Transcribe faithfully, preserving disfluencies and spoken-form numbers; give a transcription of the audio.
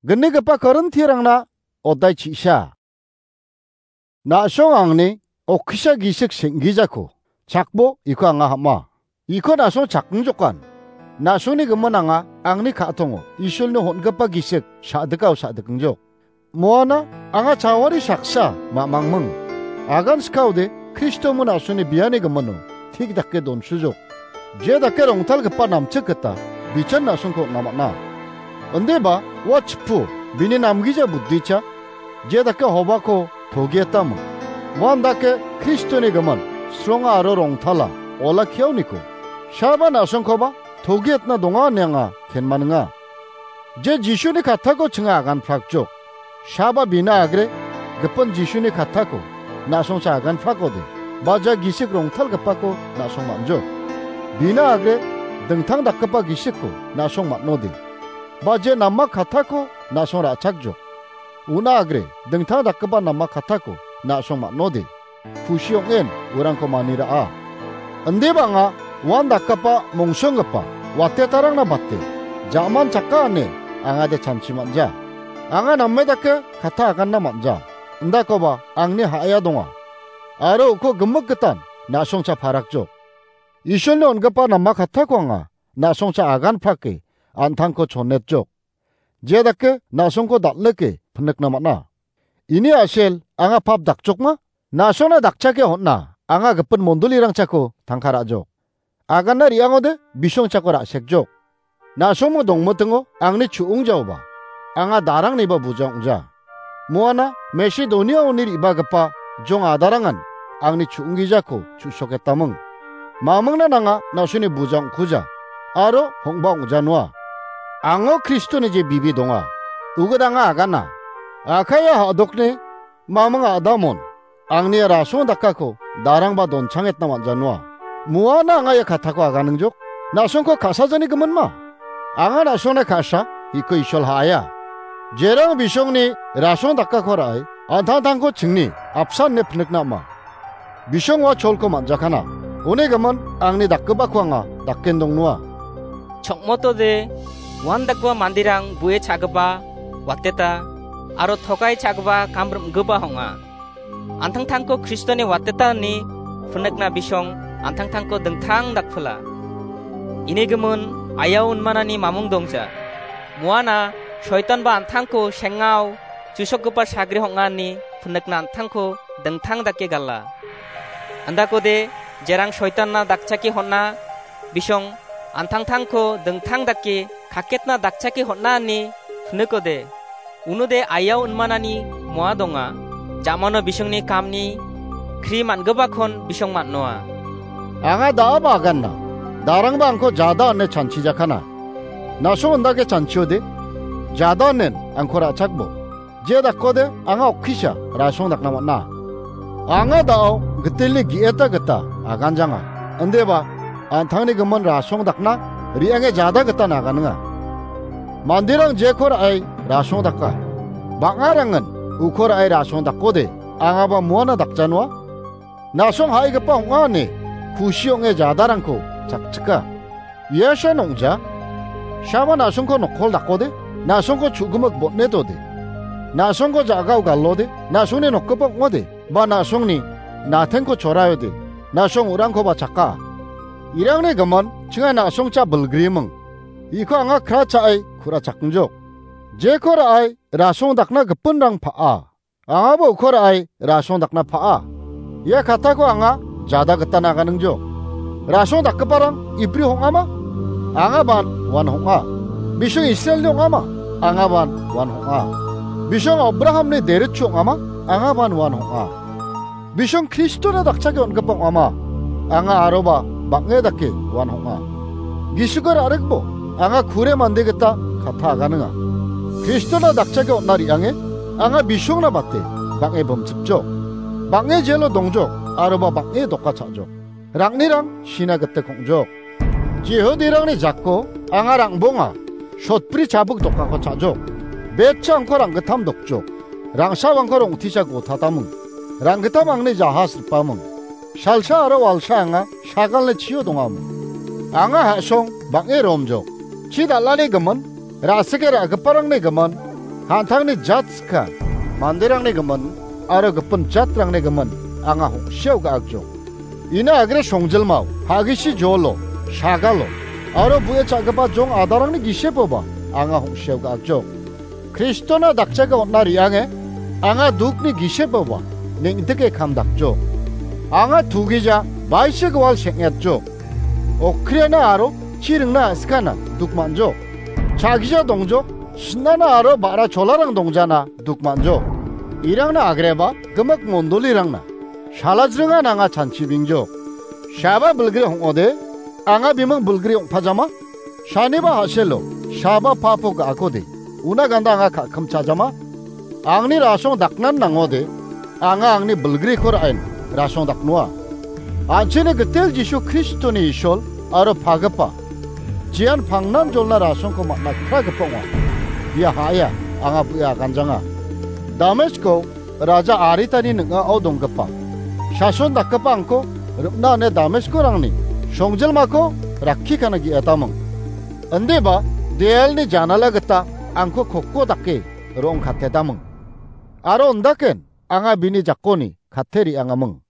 Gnigipa Korintirangna odai chisa. Na·song angni okkisa gisik senggijako chakbo iko anga hama. Iko na·song chakngjokan. Na·songni gimin anga angni ka·tongo Isolni hon·gipa gisik sa·dikao sa·dikngjok. Moana anga chawari saksa ma-, mangming. Agan skaode Kristo mon na·songni biani gimino tik dake donsujok. Je dake rongtalgipa namchik gita bichan na·songko on·a man·a. Indeba ua chipu bini namgija buddicha je dake hobako togietamo. Uan dake Kristoni gimin sronga aro rongtala olakkiaoniko. Saba na·songkoba togietna donga ine anga kenmaninga. Je Jisuni kattako chinga aganprakjok. Saba bina agre gipin Jisuni kattako na·songcha aganprakode, ba ja gisik rongtalgipako na·song man·jok. Bina agre dingtang dakgipa gisikko na·song man·ode, ba je nama kattako na·song ra·chakjok. Una agre dingtang dakgipa nama kattako na·song man·ode, kusi ong·en urangko mani ra·a. Indeba anga uan dakgipa mongsonggipa watetarangna bate ja·man chaka ine angade chanchi man·ja. Anga name dake katta aganna man·ja. Indakoba angni ha·aia donga. Aro uko gimik gitan na·songcha parakjok. Isolni on·gipa nama kattako anga na·songcha aganprake an·tangko chonetjok. Je dake na·songko dal·ike pinikna man·a. Ini a·sel anga pap dakjokma? Na·songna dakchake hon·a anga gipin mondolirangchako tangka ra·jok. Aganna re·angode bisongchako ra·sekjok. Na·songmo dongmitingo angni chu·ongjaoba anga darangniba buja ong·ja. Moana Masedoniaoni re·bagipa jong adarangan angni chu·onggijako chu·soketaming. Mamingna nanga na·songni buja ong·kuja aro hong·ba ong·janoa. Ango Kristoni je bibi donga, ugit anga agana. Akaia ha·dokni maming a·damon angni rasong dakako darangba donchangetna man·janoa. Moana anga ia katako aganingjok. Na·songko ka·sajani giminma? Anga na·songna ka·sa, iko Isol ha·aia. Jerang bisongni rasong dakako ra·e, an·tangtangko chingni apsan ine pinikna ama. Bisong ua cholko man·jakana. Uni gimin angni dakgipako anga daken dongnoa. Chokmotode, uan dakgipa manderang bu·e cha·gipa, wateta, aro tokai cha·gipa kam rim·gipa ong·a. An·tangtangko Kristoni wateta ine pinikna bisong an·tangtangko dingtang dakpila. Ini gimin ayao inmanani mamung dongja. Moana soitanba an·tangko sengao chusokgipa sagre ong·a ine pinikna an·tangko dingtang dake gala. Indakode jerang soitanna dakchake hon·a, bisong an·tangtangko dingtang dake kaketna dakchake hon·a ine pinikode, unode ayao inmanani moa donga. Jamano bisongni kamni kri man·gipakon bisong man·noa. Anga da·aba aganna, darangba angko jada ine chanchijakana. Na·song indake chanchiode, jada inen angko ra·chakbo. Je dakode anga okkisa rasong dakna man·a. Anga da·o gitelni ge·eta gita aganjanga. Indeba an·tangni gimin rasong dakna re·ange jada gita naganinga. Manderang jeko ra·e rasong daka. Bang·arangin uko ra·e rasong dakode angaba moana dakjanoa. Na·song ha·igipa ong·a ine kusi ong·e jadarangko chakchika. Ia san ong·ja. Sama na·songko nokkol dakode, na·songko chu·gimik botnetode, na·songko ja·gao galode, na·songni nokgipa ong·ode, ba na·songni natengko choraiode, na·song urangkoba chaka. Irangni gimin chinga na·songcha bilgriming. Iko anga kra cha·e ku·rachakngjok. Jeko ra·e rasong dakna gipinrang pa·a. Angaba uko ra·e rasong dakna pa·a. Ia katako anga jada gita naganingjok. Rasong dakgiparang Ibri ong·ama? Angaban uan ong·a. Bisong Israelni ong·ama? Angaban uan ong·a. Bisong Abrahamni deritchi ong·ama? Angaban uan ong·a. Bisong Kristona dakchake on·gipa ong·ama? Anga aroba bang·e dake uan ong·a. Gisiko ra·rikbo anga kure mande gita katta aganinga. Kristona dakchake on·na re·ange anga bisongna bate bang·e bimchipjok. Bang·e jelo dongjok aroba bang·e doka cha·jok. Rang·nirang sina gita kong·jok. Jihudirangni jako anga rangbonga sotbri chabik dokako cha·jok. Betcha angko rang·gittam dokjok. Rang·sabangko rong·tisa gotataming. Rang·gittam angni jahas ripaming. Salsa aro walsa anga sagalni chio dongaming. Anga ha·song bang·e romjok. Chi dal·ani gimin, ra·sike ra·giparangni gimin, An·tangni jat skang, manderangni gimin aro gipin jatrangni gimin anga hong·sia ga·akjok. Ina agre songjilmao, pagisi jolo, sagalo, aro bu·e cha·gipa jong adarangni gisepoba anga hong·sia ga·akjok. Kristona dakchaga on·a re·ange, anga dukni gisepoba neng·dike kamdakjok. Anga tugija baise gual seng·etjok. Okriana aro chi ringna a·skana duk man·jok. Chagija dongjok, sinana aro ba·ra cholarang dongjana duk man·jok. Irangna agreba gimik mondolirangna salajringan anga chanchibengjok. Saba bilgri hong·ode, anga biming bilgri ong·pajama? Saniba ha·selo, saba papo ga·akode, una ganda anga ka·kim chajama? Angni rasong daknan nangode, anga angni bilgriko ra·en rasong daknoa. An·chingni gitel Jisu Kristoni Isol aro pagipa, jian pangnan jolna rasongko man·na kragipa ong·a. Ia ha·aia anga bu·e aganjanga. Damesko raja Aritani ning·ao donggipa sason dakgipa angko rim·na ine Dameskorangni songjilmako rakkikana ge·etaming. Indiba deelni janala gita angko koko dake ro·ong katetaming. Aro ondaken anga bini jakoni kate re·angaming.